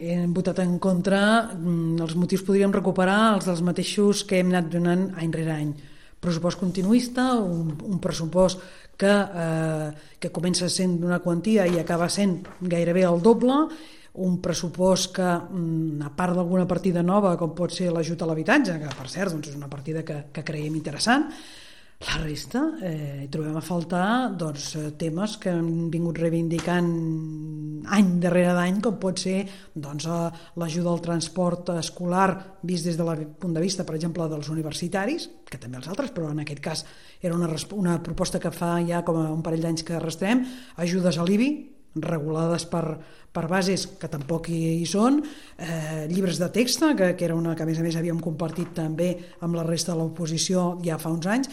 Hem votat en contra, els motius podríem recuperar els dels mateixos que hem anat donant any rere any. Pressupost continuista, un pressupost que comença sent d'una quantia i acaba sent gairebé el doble, un pressupost que, a part d'alguna partida nova, com pot ser l'ajut a l'habitatge, que per cert és una partida que creiem interessant, la resta hi trobem a faltar temes que hem vingut reivindicant any darrere d'any, com pot ser l'ajuda al transport escolar vist des del punt de vista, per exemple, dels universitaris, que també els altres, però en aquest cas era una proposta que fa ja com a un parell d'anys que arrastrem, ajudes a l'IBI, regulades per bases que tampoc hi són, llibres de text, que era una que a més havíem compartit també amb la resta de l'oposició ja fa uns anys,